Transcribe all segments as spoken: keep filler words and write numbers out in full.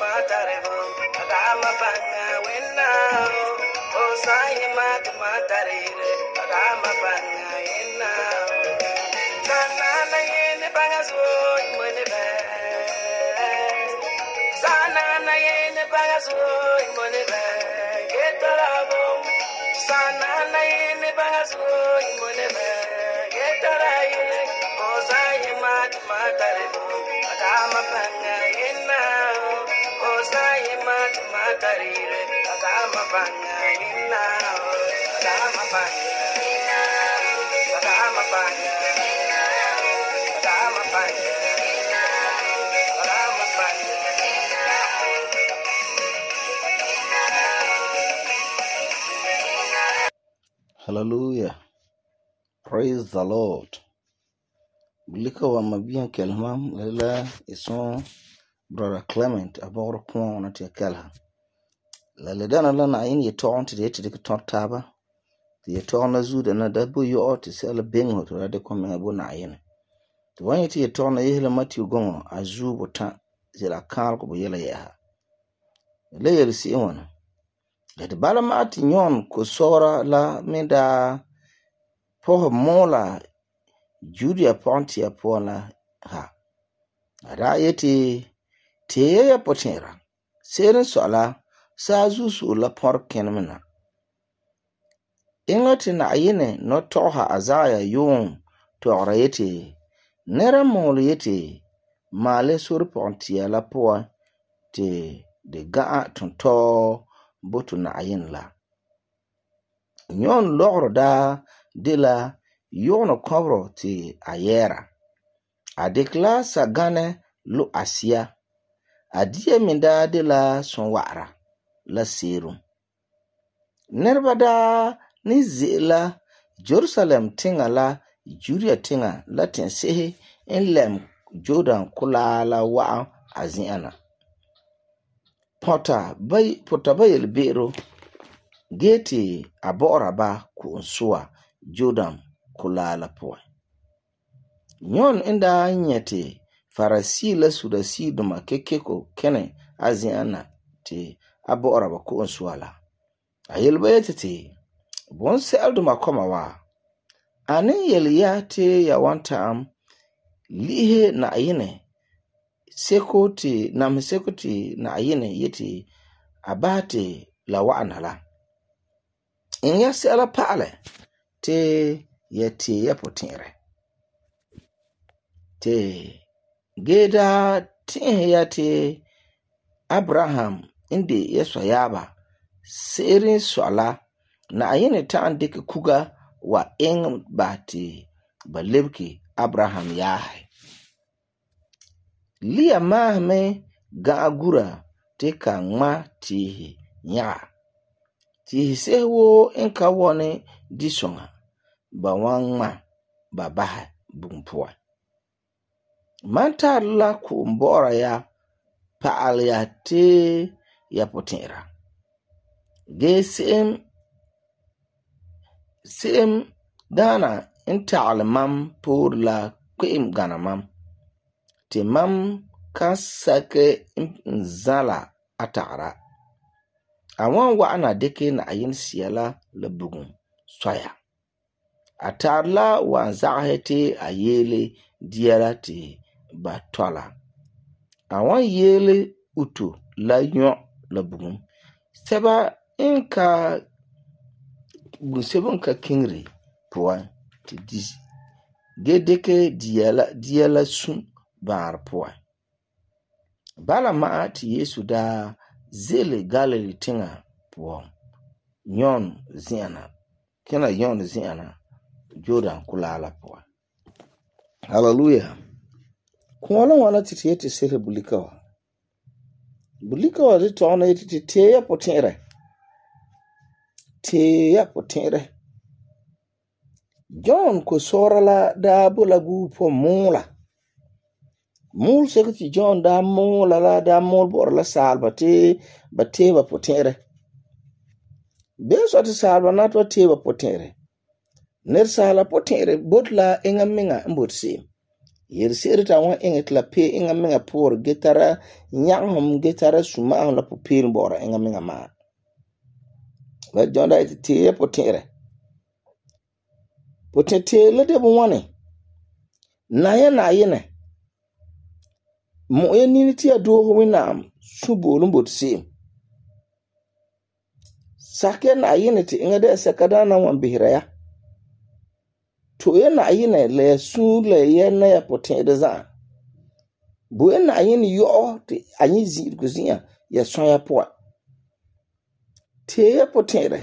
matare hom adama banga wenna o sai mat matare re adama banga wenna sana na yene banga so mone be sana na yene banga so mone be getara bom sana na yene banga so mone be getara yene o sai mat matare hom adama banga wenna o sai mat matare re adama banga wenna adama banga adama banga adama banga adama banga. Hallelujah. Praise the Lord. Bulika wa mabiyan kelmam lala ison Brother Clement aboro kwa na tia kelha. Lala dana lana ayin ye toon ti de ti de ton taba. Ti ye toon na zuda na dabu yo ti se ala bengo to rade kwa menga na ayin. Ti wanyi ti ye toon na yehla Matthew gongo azu botan zila kar ko bo yela yaha. Le yel si iwana. Yati bala maati nyon ko sora la minda poh mola Judia Pontia Pona ha. Ada yeti te ya potera. Seren sola sa zusu la por kenmena. Ingoti na ayine no toha azaya yung tora yeti. Nera mol yeti male sur pontia la poa te de gaa tonto botu na ayin la. Nyon logro da de la yono kobro ti ayera. Adekla sa gane lo asia. Adie minda de la sonwara la serum. Nerba da ni zela Jerusalem tinga la Judea tinga la tensehe en lem Jordan kula la wa aziana. Pota bay pota bayel bero geti abora ba ku unsua Jordan kula la poa. Nyon inda nyete farasi la sudasi duma kekeko kene aziana te abora ba ku unsua la. Ayel bayete te bonse alduma koma wa. Ane yel ya te ya wanta am lihe na ayine seko te nam seko te na ayine yeti abate la wa'ana la. In ya se ala pale te yeti ya potire. Te geda tin ya te Abraham indi yeso yaba serin swala na ayine ta andike kuga wa ing bati balebki Abraham yahe. Liya mahme ga agura te ka ngma tihi nya. Tihi sewo inka wone disonga ba wangma ba baha bumpuwa. Manta la ku mbora ya paal ya te ya potera. Ge sim sim dana inta mam pour la kuim gana mam. Te mam ka sake nzala atara. Awan wa'ana deke na ayin siyala la bugun soya. Atarla wa zahete ayele diara te batola. Awan yele utu la nyo la bugun. Seba inka bunsebon ka kingri puan te dizi. Gedeke diala diala sun bar puan. Bala maa ti Yesu da zele Galilee tinga puan. Nyon ziana. Kena yon ziana. Jordan kulala puan. Hallelujah. Kuwala wana titi yeti sere bulikawa. Bulikawa di toona yeti ti teya potere. Teya potere. John ko sora la da bula gu po mula. Mul sekati John da mula la da mul bor la salba te ba teba potere. Beso ati salba na to teba potere. Ner sala potere botla inga minga mbotsi. Yel se'ere ta wan eŋɛ tla pe eŋa menga poor ge tara nyagehom ge tara suma'ahom la pupeel bɔ'ɔra eŋa menga maa. Ba John da ite tee ya potɛ'ɛrɛ. Potɛtee la de bɔŋwane. Na ya na yene. Mo ya nini ti ya doohe Wẽnnaam suboolum bot se'em. Sak ya na yene ti eŋa de saka daana wan behera ya. To ya na yene la ya suun la ya na ya potɛ'ɛrɛ za'a. Bo ya na yene yo'o ti anyi zi'irego zi'an ya sõa ya puan. Tee ya potɛ'ɛrɛ.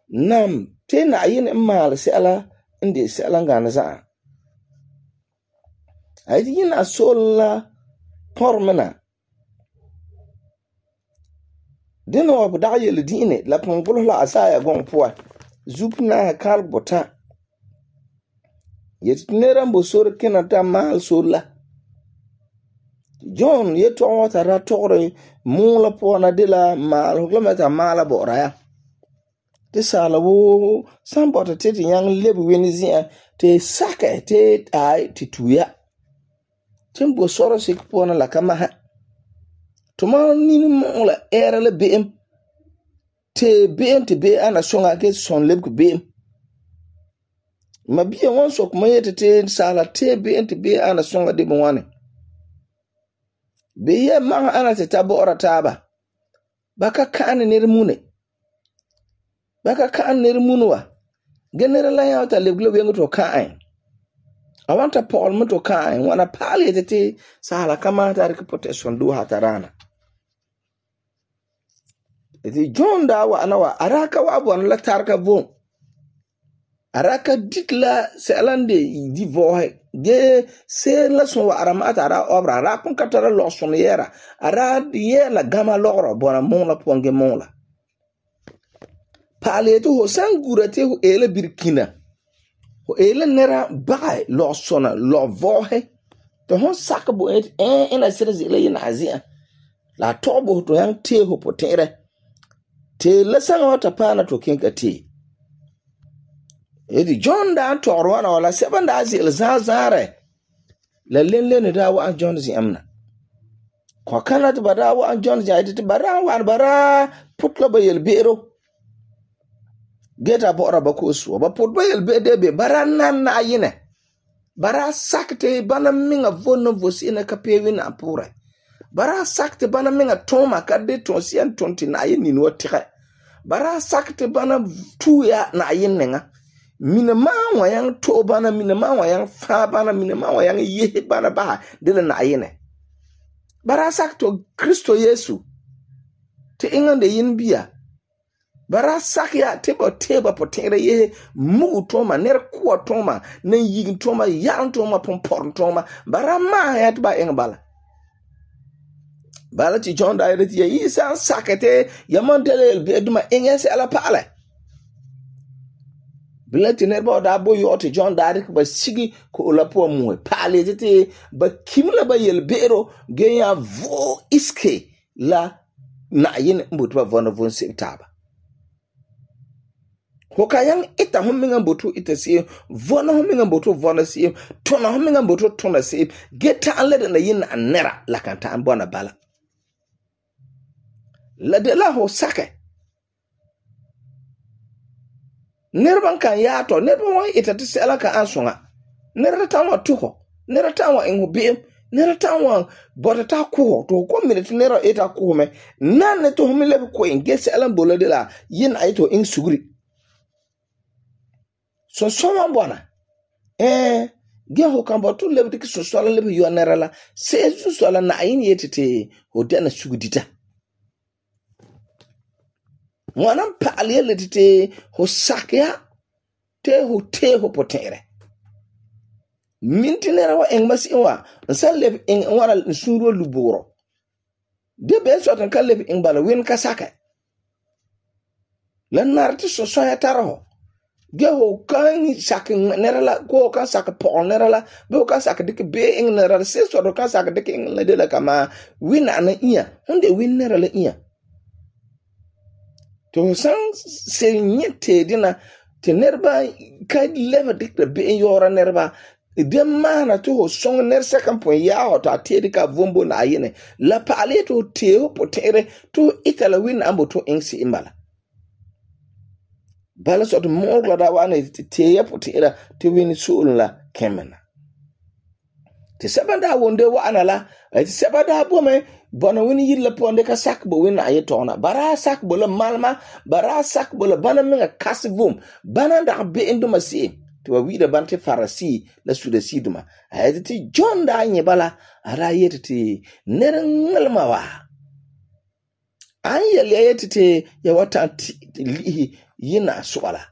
Nam te na yene maal sɛla inde sɛla ngane za'a. Ay di yina sol la pormena. Dena wa dag yele diine la pongbulo la Asaya gong puan. Zup na kal bota. Yet neran bo sor kena ta maal sol la. John ye tongo ta ra tore mula puan de la maal hokla meta maala bora ya. Te sala wo sambota te ti yang lebu weni zi'an te sake te ai ti tuya. Timbo soro sik puan la kama ha. Tuma nini mula era le be'em. Te be'em te be ana songa ke son lebu be'em. Ma biya wan sok ma yete te sala te be'em te be ana songa de mwane. Be ye ma ana te tabo ora taba. Baka kaane nere mune. Baka kaan nere munwa. Genere la ya ta lebu lebu yengu to kaan. Awanta Paul mo to kaan. Wana pali ete te sala kama ta riki protection do hatarana. Eti John da wa anawa araka wa abu la tarka von. Araka dikla selande di vohe. Ge se la son wa aramata ara obra. Ara pun katara lo son yera. Ara ye la gama loro bona monla ponge monla. Pali ete ho sangura te ho ele birkina. Ho ele nera bagay lo sona lo vohe. To hon sakabo et en ena sira zile yina azia. La tobo to yang te ho potere. Te lesanga wata pana to kenka te. Edi John da torwana wala seban da zil zazare. La lenle da wa John zi amna. Kwa kana te bara wa John zi aiti te bara wa bara putla ba yel bero. Geta bora bakusu. Ba putba yel be debe bara nan na yine. Bara sakte bana minga vona vosi ina kapewi na apure. Bara sakte bana minga toma kade tonsian tonti na yin nini watire. Bara sakte bana tuya na yin nenga. Mina mawa yang to bana mina mawa yang fa bana mina mawa yang yehe bana baha dele na yine. Bara sakto Kristo Yesu. Te ingande yin biya. Bara sakya teba teba potere yehe mugu toma ner kuwa toma nen yigin toma yan toma pompor toma. Bara ma ya tiba ingbala. Bala ti John da yere ti ya isa sakete yaman tele elbe duma ingese ala pale. Bilati nerba da bo yo ti John da rik ba sigi ko la po muwe pale ti ba kimla ba yelbero genya vo iske la na yin mbutu ba vona von sitaba. Hoka yang ita hominga mbutu ita si vona hominga mbutu vona si tona hominga mbutu tona si geta alede na yin anera la kanta ambona bala. La de la ho sake. Nerban kan yato, nerban wan ita ti sela ka ansonga. Nera tanwa tuho, nera tanwa ingo biem, nera tanwa bota ta kuho, to ko mire ti nera ita kuho me. Nane to homile ko inge sela mbola de la yin aito ing sugri. So soma bwana. Eh, ge ho kan botu lebe ki so sola lebe yo nera la. Se su sola na yin yetete ho dena sugudita. Mwana mpali ya letite ho sakya te ho te ho potere. Minti nera wa engmasi inwa. Nsan lebe ing wana nsuro luboro. De beso atan ka lebe ing bala win ka sake. La narati so soya taraho. Ge ho kan sake nera la. Ko kan sake pol nera la. Be ho kan sake dike be ing nera la. Se so do kan sake dike ing la de la kama. Win ana iya. Hunde win nera la iya. To san se nyete dina te nerba ka leva dikta be yora nerba de maana to ho song ner second point ya ho ta te ka vombo na ayene la pale to te ho potere to itala win ambo to insi imbala bala so to mogla da wane te ya potera te win sul la kemena te sabanda wonde wa anala te sabanda bo me bona wini yilla ponde ka sak bo win aye tona bara sak bo la malma bara sak bo la bana menga kasvum bana da be endo masi to wa wida bante farasi la suda siduma ayati ti John da nye bala ara yeti ti nerengalma wa an yali ayati ti ya wata lihi yina swala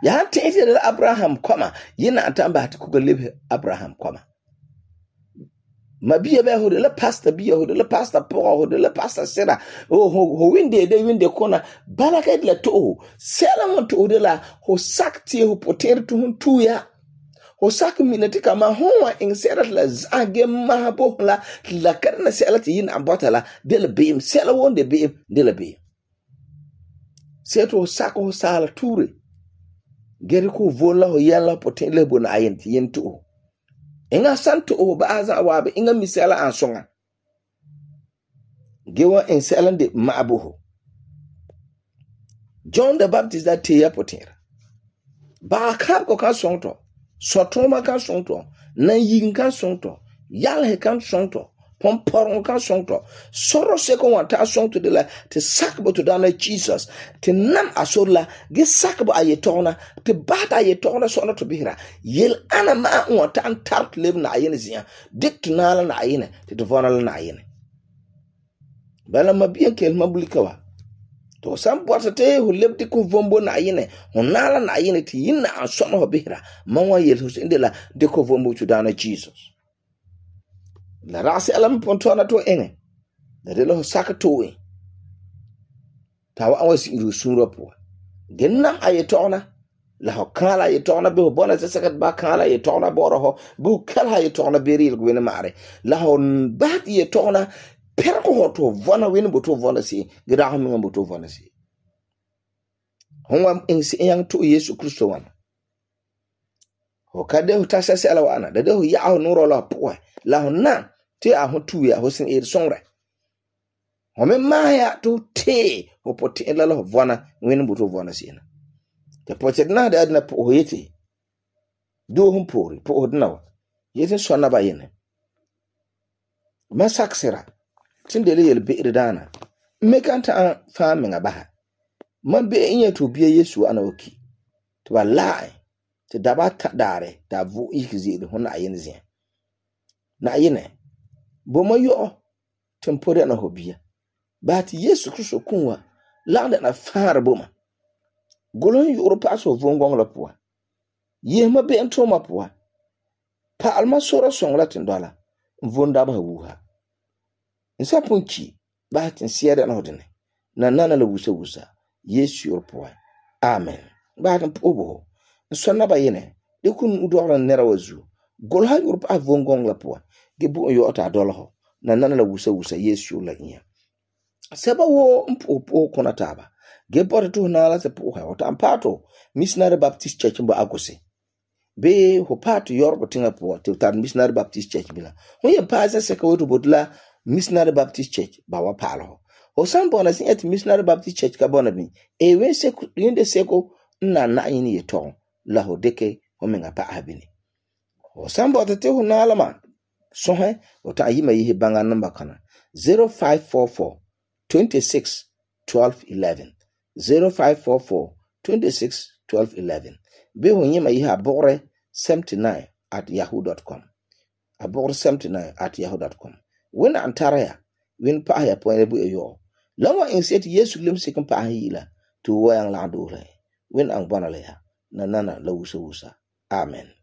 ya tete da Abraham kwama yina atamba hati kuga lebe Abraham kwama mabiya ba ho de la pastor biya ho de la pastor pora ho de la pastor sera oh ho winde de winde kona balaka de la to sela mo to de la ho sakti ho poter to hun tuya ho sak minati kama howa in sera la zage mahabo la la karna sela ti yin abotala de la beam sela wonde beam de la beam seto sak ho sala ture geri ko vola ho yalla poter le bona ayenti yento inga santo o baaza wabe inga misala ansonga gewa insala de maabuho John the Baptist da teya potera ba kap ko kan sonto sotoma kan sonto na yin kan sonto yalhe kan sonto pomporon kan sonto soro seko wanta sonto de la te sakbo to dana Jesus te nam asola ge sakbo ayetona te bata ayetona sona to bihira yel ana ma wanta an tart leb na ayene zia dik tunala na ayene te devona na ayene bala mabien kel mabulikawa to sam porta te hu lebdi ko vombo na ayene honala na ayene te yinna an sona ho bihira manwa yel hus indela de ko vombo to dana Jesus la rasi alam pontona to ene da de lo saka to e tawa awasi iru sunro po genna ayetona la ho kala ayetona be bona saka ba kala ayetona boro ho bu kala ayetona beril gwene mare la ho bat ayetona perko ho to vona wen bo to vona si gira ho mi bo to vona si honwa insi yang to Yesu Kristo wana ho kade ho tasa sala wana da de ho ya ho nuro la po la ho na te a ho tu ya ho sin e songre ho me maya to te ho pote la la vona wen buto vona sina te pote na da na po ho yete do hum pori po odna yete sona ba yene masaksera tindele yel be dana me kanta fa me ngabaha man be inye to biye Yesu ana oki to ba lai te daba ta dare da vu ikizi de hona ayene zia na ayene boma yo tempore na hobia but Yesu Kristo kunwa landa na fara boma golon yoro paso vongong la poa ye ma be ento ma poa pa alma sora song la tindola mvonda ba wuha nsa ponchi ba tin siere na hodene na nana la wusa wusa Yesu yoro poa amen ba tan pobo nsonna ba yene de kun udora nera wazu gol ha yoro pa vongong la poa gebu yo ota dolo na nana la wusa wusa Yesu la nya seba wo mpo kona taba gebore to na la se po ha ota ampato Missionary Baptist Church mbo agose be ho pato yorbo tinga po te tar Missionary Baptist Church bila ho ye paza se ka woto bodla Missionary Baptist Church ba wa palo ho sambo na sin et Missionary Baptist Church ka bona bi e we se yende seko na na yini ye ton la ho deke ho menga pa abini ho sambo te ho na la ma so he ota yima yi banga number kana zero five four four twenty-six twelve eleven zero five four four twenty-six twelve eleven be ho yima yi abore seventy-nine at yahoo dot com abore seventy-nine at yahoo dot com when antara when pa ya point bu eyo lawa inset Yesu lim sikin pa hila to wayang la do when ang bana le na nana la wusa wusa amen.